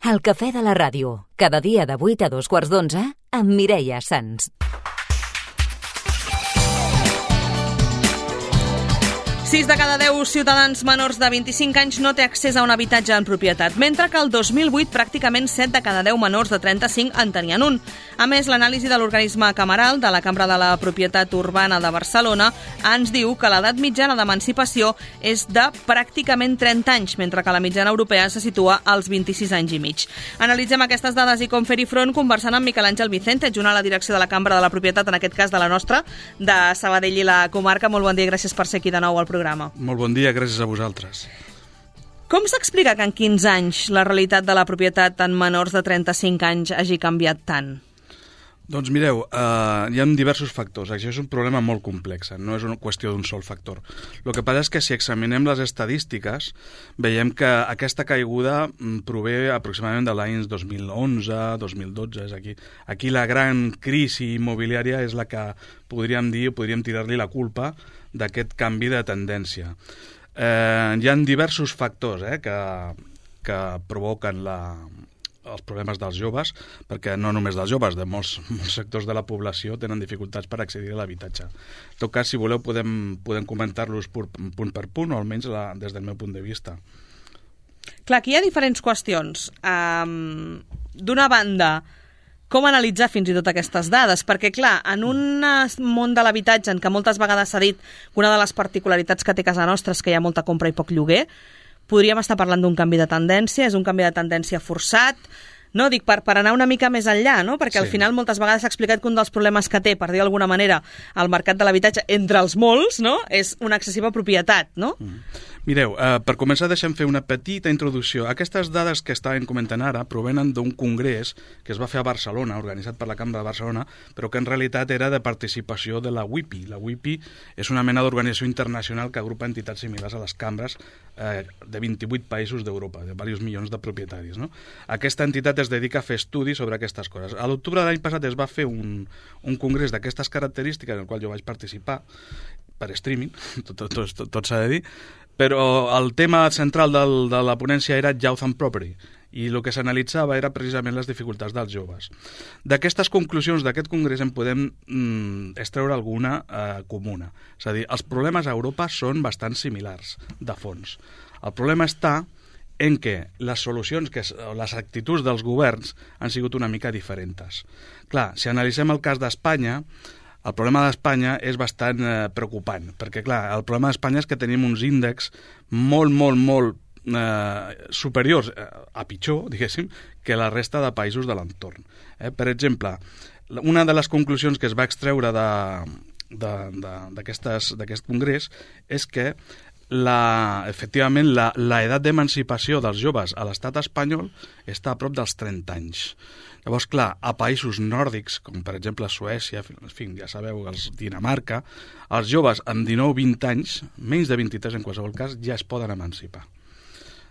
El cafè de la ràdio, cada dia de 8 a 2:15 amb Mireia Sans. 6 de cada 10 ciutadans menors de 25 anys no té accés a un habitatge en propietat, mentre que el 2008 pràcticament 7 de cada 10 menors de 35 en tenien un. A més, l'anàlisi de l'organisme cameral de la Cambra de la Propietat Urbana de Barcelona ens diu que l'edat mitjana d'emancipació és de pràcticament 30 anys, mentre que la mitjana europea se situa als 26 anys i mig. Analitzem aquestes dades i com fer-hi front conversant amb Miquel Àngel Vicente, adjunt a la direcció de la Cambra de la Propietat, en aquest cas de la nostra, de Sabadell i la comarca. Molt bon dia i gràcies per ser aquí de nou al programa. Molt bon dia, gràcies a vosaltres. Com s'explica que en 15 anys la realitat de la propietat en menors de 35 anys hagi canviat tant? Doncs mireu, hi ha diversos factors. Això és un problema molt complex, no és una qüestió d'un sol factor. El que passa és que si examinem les estadístiques, veiem que aquesta caiguda prové aproximadament de l'any 2011, 2012. És aquí la gran crisi immobiliària és la que podríem dir, o podríem tirar-li la culpa d'aquest canvi de tendència. Hi ha diversos factors que provoquen els problemes dels joves, perquè no només dels joves, de molts sectors de la població tenen dificultats per accedir a l'habitatge. En tot cas, si voleu, podem comentar-los punt per punt, o almenys des del meu punt de vista. Clar, aquí hi ha diferents qüestions. D'una banda, com analitzar fins i tot aquestes dades? Perquè, clar, en un món de l'habitatge en què moltes vegades s'ha dit que una de les particularitats que té casa nostra és que hi ha molta compra i poc lloguer, podríem estar parlant d'un canvi de tendència, és un canvi de tendència forçat, no? Dic, per anar una mica més enllà, no? Perquè al final moltes vegades s'ha explicat que un dels problemes que té, per dir d'alguna manera, el mercat de l'habitatge, entre els molts, no? És una excessiva propietat, no? Mireu, per començar deixem fer una petita introducció. Aquestes dades que estàvem comentant ara provenen d'un congrés que es va fer a Barcelona, organitzat per la Cambra de Barcelona, però que en realitat era de participació de la WIPI. La WIPI és una mena d'organització internacional que agrupa entitats similars a les cambres de 28 països d'Europa, de diversos milions de propietaris, no? Aquesta entitat es dedica a fer estudis sobre aquestes coses. A l'octubre de l'any passat es va fer un congrés d'aquestes característiques en el qual jo vaig participar per streaming, tot s'ha de dir, però el tema central de la ponència era Youth and Property, i el que s'analitzava era precisament les dificultats dels joves. D'aquestes conclusions d'aquest congrés en podem extreure alguna comuna. És a dir, els problemes a Europa són bastant similars, de fons. El problema està en què les solucions, les actituds dels governs han sigut una mica diferents. Clar, si analitzem el cas d'Espanya, el problema d'Espanya és bastant preocupant, perquè clar, el problema d'Espanya és que tenim uns índexs molt superiors a pitjor, diguéssim, que la resta de països de l'entorn. Per exemple, una de les conclusions que es va extreure d'aquest congrés és que efectivament l'edat d'emancipació dels joves a l'estat espanyol està a prop dels 30 anys. Llavors, clar, a països nòrdics, com per exemple Suècia, en fi, ja sabeu, Dinamarca, els joves amb 19-20 anys, menys de 23 en qualsevol cas, ja es poden emancipar.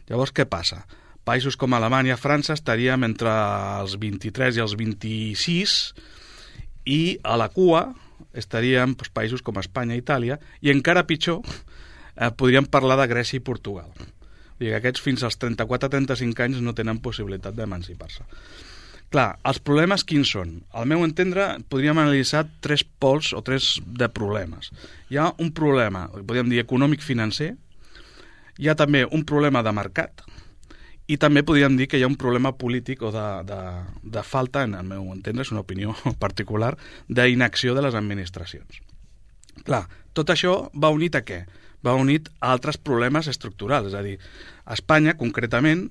Llavors, què passa? Països com Alemanya, França, estaríem entre els 23 i els 26, i a la cua estaríem països com Espanya i Itàlia, i encara pitjor, podríem parlar de Grècia i Portugal. Vull dir que aquests fins als 34-35 anys no tenen possibilitat d'emancipar-se. Clar, els problemes quins són? Al meu entendre, podríem analitzar 3 pols o 3 de problemes. Hi ha un problema, podríem dir, econòmic-financer, hi ha també un problema de mercat, i també podríem dir que hi ha un problema polític o de falta, en el meu entendre, és una opinió particular, d'inacció de les administracions. Clar, tot això va unit a què? Va unit a altres problemes estructurals, és a dir, a Espanya, concretament,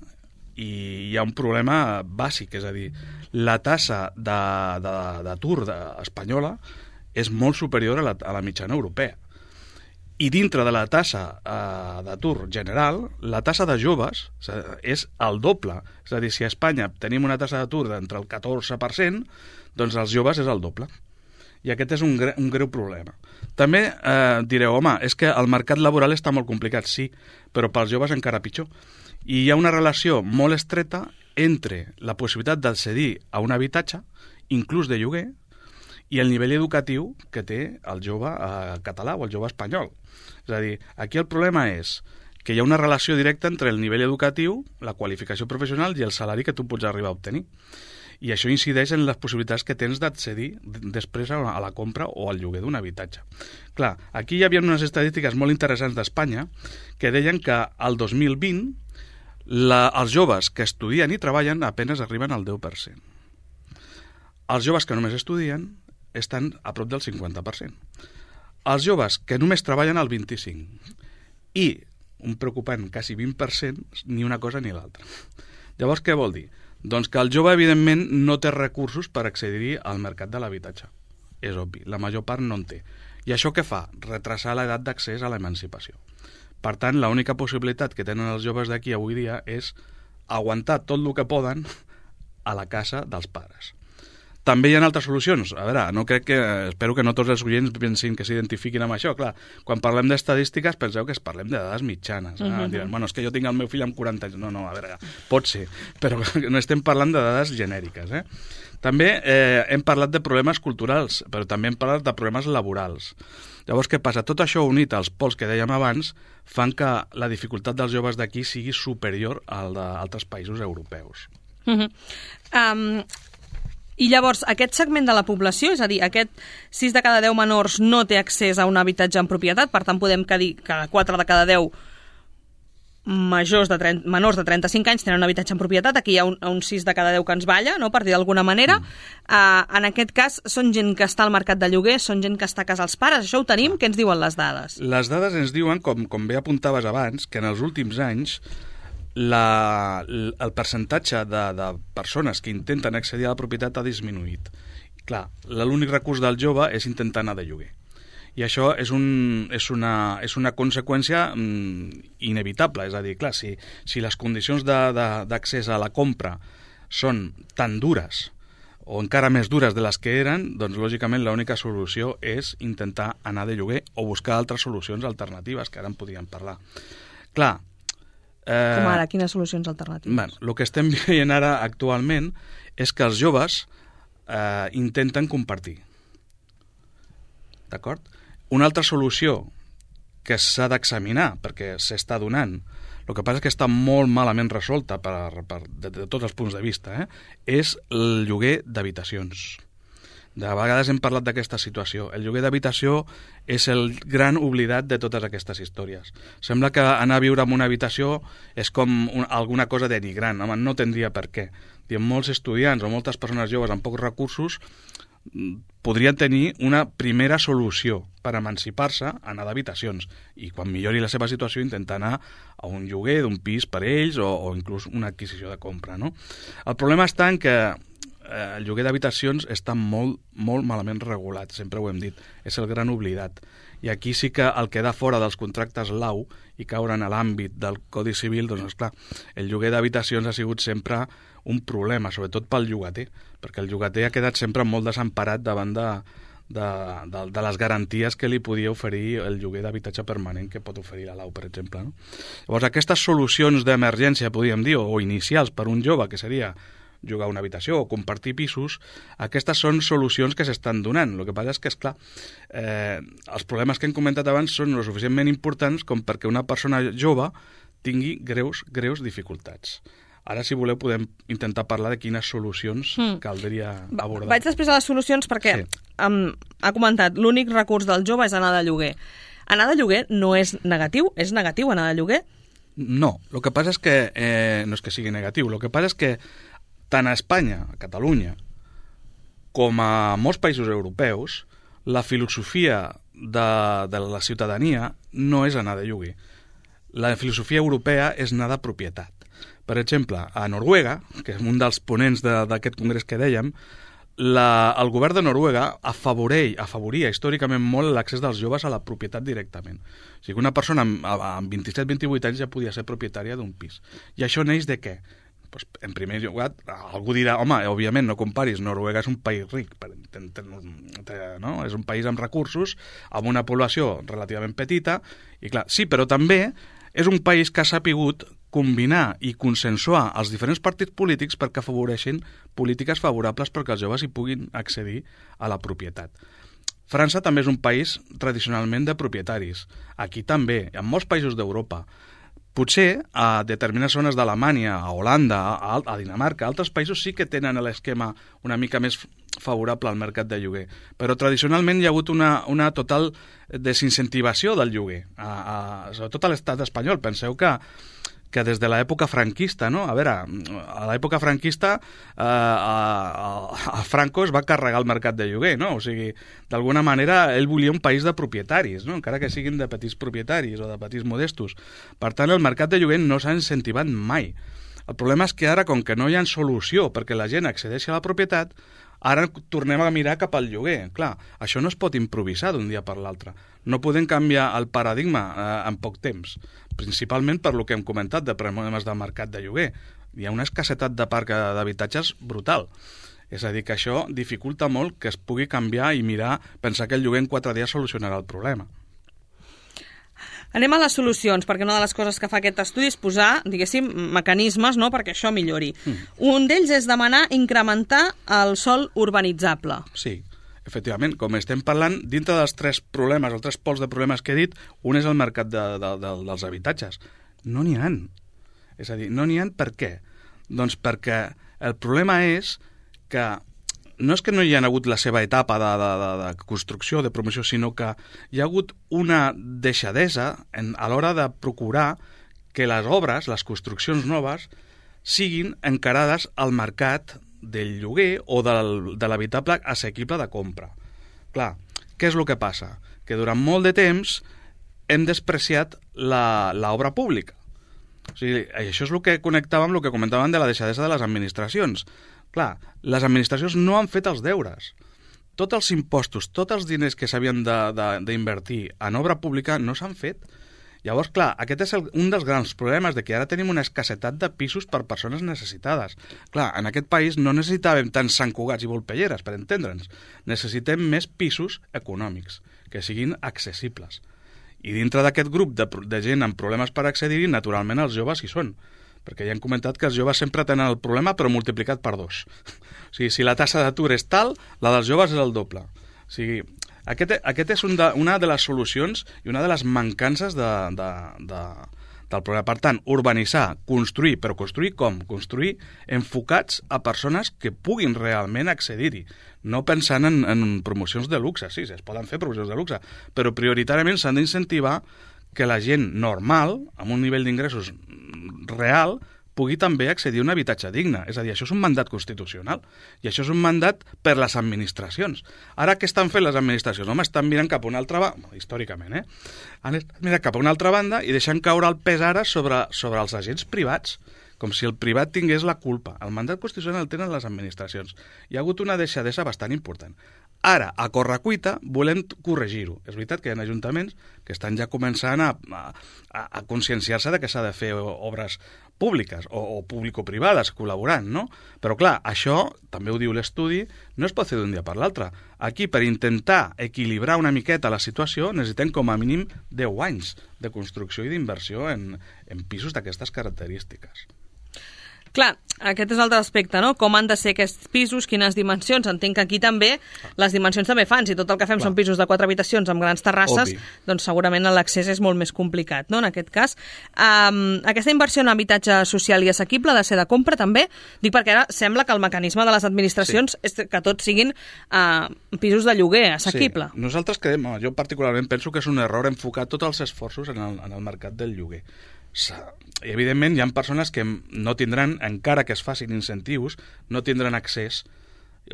hi ha un problema bàsic, és a dir, la tassa d'atur espanyola és molt superior a la mitjana europea. I dintre de la tassa d'atur general, la tassa de joves és el doble. És a dir, si a Espanya tenim una tassa d'atur d'entre el 14%, doncs els joves és el doble. I aquest és un greu problema. També direu, home, és que el mercat laboral està molt complicat, sí, però pels joves encara pitjor. I hi ha una relació molt estreta entre la possibilitat d'accedir a un habitatge, inclús de lloguer, i el nivell educatiu que té el jove català o el jove espanyol. És a dir, aquí el problema és que hi ha una relació directa entre el nivell educatiu, la qualificació professional i el salari que tu pots arribar a obtenir. I això incideix en les possibilitats que tens d'accedir després a la compra o al lloguer d'un habitatge. Clar, aquí hi havia unes estadístiques molt interessants d'Espanya que deien que al 2020 els joves que estudien i treballen apenas arriben al 10%. Els joves que només estudien estan a prop del 50%. Els joves que només treballen al 25%. I, un preocupant, quasi 20%, ni una cosa ni l'altra. Llavors, què vol dir? Doncs que el jove, evidentment, no té recursos per accedir al mercat de l'habitatge. És obvi, la major part no en té. I això què fa? Retrasar l'edat d'accés a l'emancipació. Per tant, l'única possibilitat que tenen els joves d'aquí avui dia és aguantar tot el que poden a la casa dels pares. També hi ha altres solucions. A veure, espero que no tots els oients pensin que s'identifiquin amb això. Clar, quan parlem d'estadístiques penseu que parlem de dades mitjanes. Diran, bueno, és que jo tinc el meu fill amb 40 anys. No, a veure, pot ser, però no estem parlant de dades genèriques. També hem parlat de problemes culturals, però també hem parlat de problemes laborals. Llavors, què passa? Tot això unit als pols que dèiem abans fan que la dificultat dels joves d'aquí sigui superior al d'altres països europeus. I llavors, aquest segment de la població, és a dir, aquest 6 de cada 10 menors no té accés a un habitatge en propietat, per tant podem dir que 4 de cada 10 menors de 35 anys tenen un habitatge en propietat, aquí hi ha un 6 de cada 10 que ens balla, no?, per dir d'alguna manera. En aquest cas, són gent que està al mercat de lloguer, són gent que està a casa els pares, això ho tenim? Què ens diuen les dades? Les dades ens diuen, com bé apuntaves abans, que en els últims anys el percentatge de persones que intenten accedir a la propietat ha disminuït. Clar, l'únic recurs del jove és intentar anar de lloguer. I això és una conseqüència inevitable. És a dir, clar, si les condicions d'accés a la compra són tan dures o encara més dures de les que eren, doncs lògicament l'única solució és intentar anar de lloguer o buscar altres solucions alternatives, que ara en podríem parlar. Clar, com ara, quines solucions alternatives? Bé, el que estem veient ara actualment és que els joves intenten compartir. D'acord? Una altra solució que s'ha d'examinar, perquè s'està donant, el que passa és que està molt malament resolta de tots els punts de vista, és el lloguer d'habitacions. De vegades hem parlat d'aquesta situació. El lloguer d'habitació és el gran oblidat de totes aquestes històries. Sembla que anar a viure en una habitació és com alguna cosa denigrant. Home, no tindria per què. Molts estudiants o moltes persones joves amb pocs recursos podrien tenir una primera solució per emancipar-se, anar d'habitacions, i quan millori la seva situació intentar anar a un lloguer d'un pis per ells o inclús una adquisició de compra, no? El problema està en que el lloguer d'habitacions està molt, molt malament regulat, sempre ho hem dit, és el gran oblidat. I aquí sí que el quedar fora dels contractes lau i caure en l'àmbit del Codi Civil, doncs esclar, el lloguer d'habitacions ha sigut sempre un problema, sobretot pel llogater, perquè el llogater ha quedat sempre molt desemparat davant de les garanties que li podia oferir el lloguer d'habitatge permanent que pot oferir la lau, per exemple. No? Llavors, aquestes solucions d'emergència, podríem dir, o inicials per un jove, que seria jugar a una habitació o compartir pisos, aquestes són solucions que s'estan donant. El que passa és que, esclar, els problemes que hem comentat abans són lo suficientment importants com perquè una persona jove tingui greus dificultats. Ara, si voleu, podem intentar parlar de quines solucions caldria abordar. Vaig després a les solucions perquè ha comentat l'únic recurs del jove és anar de lloguer. Anar de lloguer no és negatiu? És negatiu anar de lloguer? No, el que passa és que no és que sigui negatiu, el que passa és que tant a Espanya, a Catalunya, com a molts països europeus, la filosofia de la ciutadania no és anar de lloguer. La filosofia europea és anar de propietat. Per exemple, a Noruega, que és un dels ponents d'aquest congrés que dèiem, el govern de Noruega afavoria històricament molt l'accés dels joves a la propietat directament. O sigui, una persona amb 27-28 anys ja podia ser propietària d'un pis. I això neix de què? Pues, en primer lloc, algú dirà, home, òbviament no comparis, Noruega és un país ric, no? És un país amb recursos, amb una població relativament petita, i clar, sí, però també és un país que ha sapigut combinar i consensuar els diferents partits polítics perquè afavoreixin polítiques favorables perquè els joves hi puguin accedir a la propietat. França també és un país tradicionalment de propietaris. Aquí també, en molts països d'Europa. Potser a determinades zones d'Alemanya, a Holanda, a Dinamarca, altres països sí que tenen l'esquema una mica més favorable al mercat de lloguer, però tradicionalment hi ha hagut una total desincentivació del lloguer, sobretot a l'estat espanyol. Penseu que des de l'època franquista, no? A veure, a l'època franquista a Franco es va carregar el mercat de lloguer, no? O sigui, d'alguna manera ell volia un país de propietaris, no? Encara que siguin de petits propietaris o de petits modestos. Per tant, el mercat de lloguer no s'ha incentivat mai. El problema és que ara, com que no hi ha solució perquè la gent accedeixi a la propietat, ara tornem a mirar cap al lloguer. Clar, això no es pot improvisar d'un dia per l'altre. No podem canviar el paradigma en poc temps, principalment per lo que hem comentat de problemes del mercat de lloguer. Hi ha una escassetat de parc d'habitatges brutal. És a dir, que això dificulta molt que es pugui canviar i mirar, pensar que el lloguer en 4 dies solucionarà el problema. Anem a les solucions, perquè una de les coses que fa aquest estudi és posar, diguéssim, mecanismes, no?, perquè això millori. Un d'ells és demanar incrementar el sòl urbanitzable. Sí, efectivament, com estem parlant, dintre dels 3 problemes, els 3 pols de problemes que he dit, un és el mercat dels habitatges. No n'hi ha. És a dir, no n'hi ha per què? Doncs perquè el problema és que no és que no hi ha hagut la seva etapa de construcció, de promoció, sinó que hi ha hagut una deixadesa a l'hora de procurar que les obres, les construccions noves, siguin encarades al mercat del lloguer o de l'habitable assequible de compra. Clar, què és el que passa? Que durant molt de temps hem despreciat l'obra pública. O sigui, això és el que connectava amb el que comentàvem de la deixadesa de les administracions. Clar, les administracions no han fet els deures. Tots els impostos, tots els diners que s'havien d'invertir en obra pública no s'han fet. Llavors, clar, aquest és un dels grans problemes de que ara tenim una escassetat de pisos per persones necessitades. Clar, en aquest país no necessitàvem tants Sant Cugats i Volpelleres, per entendre'ns. Necessitem més pisos econòmics, que siguin accessibles. I dintre d'aquest grup de gent amb problemes per accedir-hi, naturalment els joves hi són. Perquè ja hem comentat que els joves sempre tenen el problema, però multiplicat per 2. O sigui, si la taxa d'atur és tal, la dels joves és el doble. O sigui, aquest és una de les solucions i una de les mancances del problema. Per tant, urbanitzar, construir, però construir com? Construir enfocats a persones que puguin realment accedir-hi, no pensant en promocions de luxe. Sí, es poden fer promocions de luxe, però prioritàriament s'han d'incentivar que la gent normal, amb un nivell d'ingressos real, pugui també accedir a un habitatge digne. És a dir, això és un mandat constitucional i això és un mandat per les administracions. Ara, què estan fent les administracions? Home, estan mirant cap a una altra banda, històricament, han mirat cap a una altra banda i deixant caure el pes ara sobre els agents privats, com si el privat tingués la culpa. El mandat constitucional el tenen les administracions. Hi ha hagut una deixadesa bastant important. Ara, a correcuita, volem corregir-ho. És veritat que hi ha ajuntaments que estan ja començant a conscienciar-se de que s'ha de fer obres públiques o público-privades col·laborant, no? Però clar, això, també ho diu l'estudi, no es pot fer d'un dia per l'altre. Aquí, per intentar equilibrar una miqueta la situació, necessitem com a mínim 10 anys de construcció i d'inversió en pisos d'aquestes característiques. Clar, aquest és l'altre aspecte, no? Com han de ser aquests pisos, quines dimensions. Entenc que aquí també les dimensions també fan. Si tot el que fem són pisos de 4 habitacions amb grans terrasses, doncs segurament l'accés és molt més complicat, no? En aquest cas, aquesta inversió en habitatge social i assequible ha de ser de compra també? Dic perquè ara sembla que el mecanisme de les administracions és que tots siguin pisos de lloguer assequible. Sí. Nosaltres creiem, jo particularment penso que és un error enfocar tots els esforços en el mercat del lloguer. I evidentment hi ha persones que no tindran, encara que es facin incentius, no tindran accés,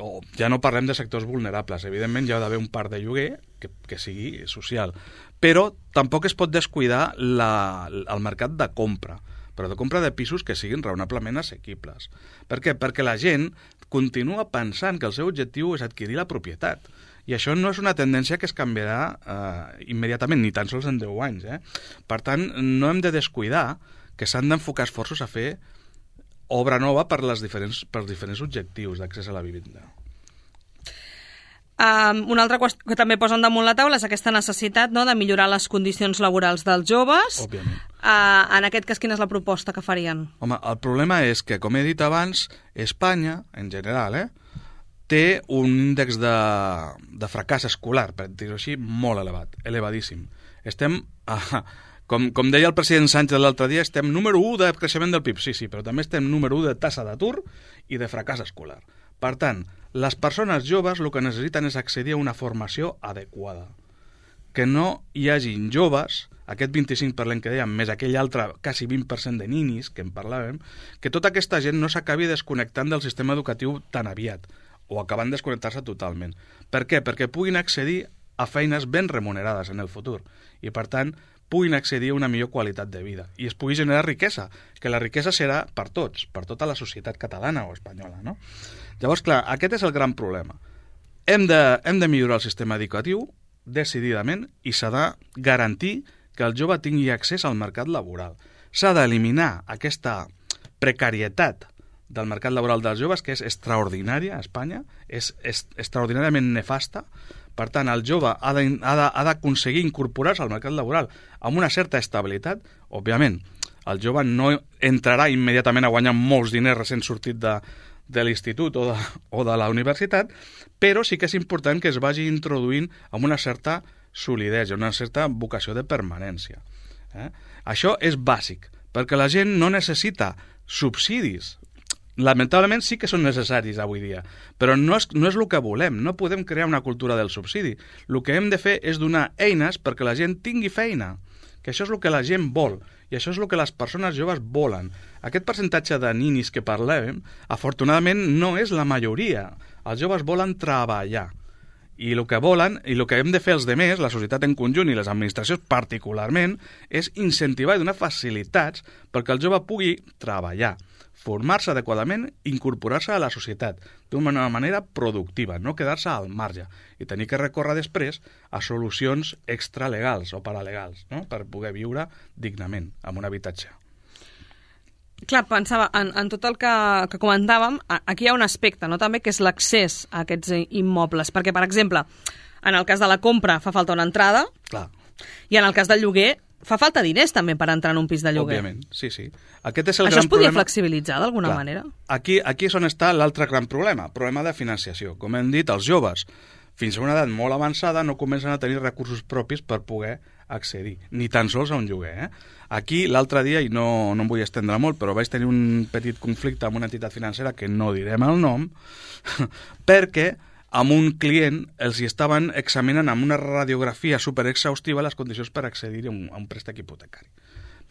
o ja no parlem de sectors vulnerables, evidentment hi ha d'haver un parc de lloguer que sigui social, però tampoc es pot descuidar el mercat de compra, però de compra de pisos que siguin raonablement assequibles. Per què? Perquè la gent continua pensant que el seu objectiu és adquirir la propietat. I això no és una tendència que es canviarà immediatament, ni tan sols en 10 anys. Per tant, no hem de descuidar que s'han d'enfocar esforços a fer obra nova per diferents objectius d'accés a la vivenda. Una altra qüestió que també posen damunt la taula és aquesta necessitat, no?, de millorar les condicions laborals dels joves. Òbviament. En aquest cas, quina és la proposta que farien? Home, el problema és que, com he dit abans, Espanya, en general, té un índex de fracàs escolar, per dir-ho així, molt elevat, elevadíssim. Estem, Com deia el president Sánchez l'altre dia, estem número 1 de creixement del PIB. Sí, però també estem número 1 de taxa d'atur i de fracàs escolar. Per tant, les persones joves el que necessiten és accedir a una formació adequada. Que no hi hagin joves, aquest 25% que dèiem, més aquell altre quasi 20% de ninis que en parlàvem, que tota aquesta gent no s'acabi desconnectant del sistema educatiu tan aviat, o acabant desconnectar-se totalment. Per què? Perquè puguin accedir a feines ben remunerades en el futur i, per tant, puguin accedir a una millor qualitat de vida i es pugui generar riquesa, que la riquesa serà per tots, per tota la societat catalana o espanyola, no? Llavors, clar, aquest és el gran problema. Hem de millorar el sistema educatiu decididament i s'ha de garantir que el jove tingui accés al mercat laboral. S'ha d'eliminar aquesta precarietat del mercat laboral dels joves, que és extraordinària a Espanya, és extraordinàriament nefasta. Per tant, el jove ha d'aconseguir incorporar-se al mercat laboral amb una certa estabilitat. Òbviament, el jove no entrarà immediatament a guanyar molts diners recent sortit de l'institut o de la universitat, però sí que és important que es vagi introduint amb una certa solidesa, una certa vocació de permanència. Això és bàsic, perquè la gent no necessita subsidis. Lamentablement sí que són necessaris avui dia, però no és el que volem, no podem crear una cultura del subsidi. El que hem de fer és donar eines perquè la gent tingui feina, que això és el que la gent vol, i això és el que les persones joves volen. Aquest percentatge de ninis que parlem, afortunadament, no és la majoria. Els joves volen treballar, i el que volen, i el que hem de fer els demés, la societat en conjunt i les administracions particularment, és incentivar i donar facilitats perquè el jove pugui treballar, formar-se adequadament, incorporar-se a la societat d'una manera productiva, no quedar-se al marge i tenir que recórrer després a solucions extralegals o paralegals, no? Per poder viure dignament amb un habitatge. Clar, pensava, en tot el que comentàvem, aquí hi ha un aspecte, no? També, que és l'accés a aquests immobles, perquè, per exemple, en el cas de la compra fa falta una entrada. Clar. I en el cas del lloguer fa falta diners també per entrar en un pis de lloguer. Òbviament, sí. Aquest és el Això gran es podia problema. flexibilitzar d'alguna manera? Aquí és on està l'altre gran problema de financiació. Com hem dit, els joves, fins a una edat molt avançada, no comencen a tenir recursos propis per poder accedir, ni tan sols a un lloguer. Aquí, l'altre dia, i no em vull estendre molt, però vaig tenir un petit conflicte amb una entitat financera, que no direm el nom, perquè amb un client els hi estaven examinant amb una radiografia superexhaustiva les condicions per accedir a un préstec hipotecari.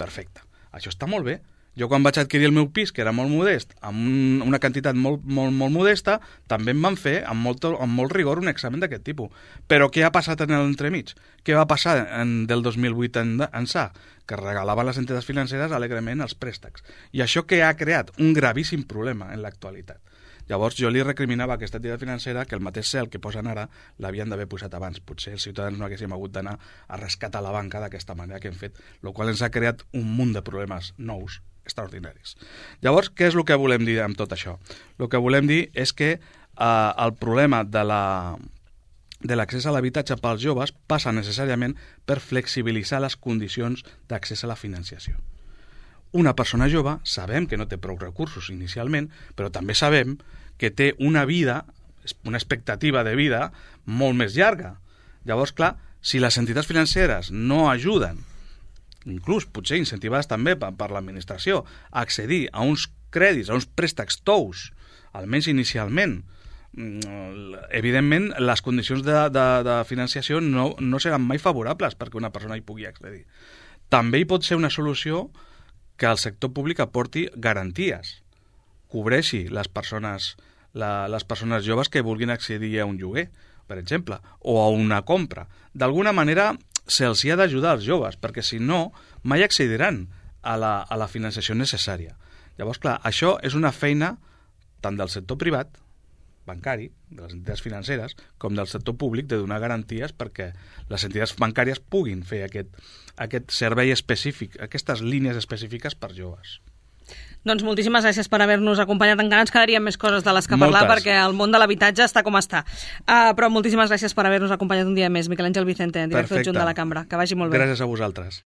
Perfecte. Això està molt bé. Jo quan vaig adquirir el meu pis, que era molt modest, amb una quantitat molt modesta, també em van fer amb molt rigor un examen d'aquest tipus. Però què ha passat en l'entremig? Què va passar del 2008 ençà? Que regalaven les entitats financeres alegrement els préstecs. I això què ha creat? Un gravíssim problema en l'actualitat. Llavors jo li recriminava a aquesta entitat financera que el mateix cel que posen ara l'havien d'haver posat abans. Potser els ciutadans no haguéssim hagut d'anar a rescatar la banca d'aquesta manera que hem fet, el qual ens ha creat un munt de problemes nous, extraordinaris. Llavors, què és el que volem dir amb tot això? El que volem dir és que el problema de l'accés a l'habitatge pels joves passa necessàriament per flexibilitzar les condicions d'accés a la financiació. Una persona jove sabem que no té prou recursos inicialment, però també sabem que té una vida, una expectativa de vida molt més llarga. Llavors, clar, si les entitats financeres no ajuden, inclús potser incentivades també per l'administració, a accedir a uns crèdits, a uns préstecs tous, almenys inicialment, evidentment les condicions de financiació no seran mai favorables perquè una persona hi pugui accedir. També hi pot ser una solució que el sector públic aporti garanties, cobreixi les persones joves que vulguin accedir a un lloguer, per exemple, o a una compra. D'alguna manera se'ls ha d'ajudar als joves, perquè si no, mai accediran a la financiació necessària. Llavors, clar, això és una feina tant del sector privat, bancari, de les entitats financeres, com del sector públic, de donar garanties perquè les entitats bancàries puguin fer aquest servei específic, aquestes línies específiques per joves. Doncs moltíssimes gràcies per haver-nos acompanyat. Encara ens quedarien més coses de les que parlar perquè el món de l'habitatge està com està. Però moltíssimes gràcies per haver-nos acompanyat un dia més. Miquel Àngel Vicente, director adjunt de la Cambra. Que vagi molt bé. Gràcies a vosaltres.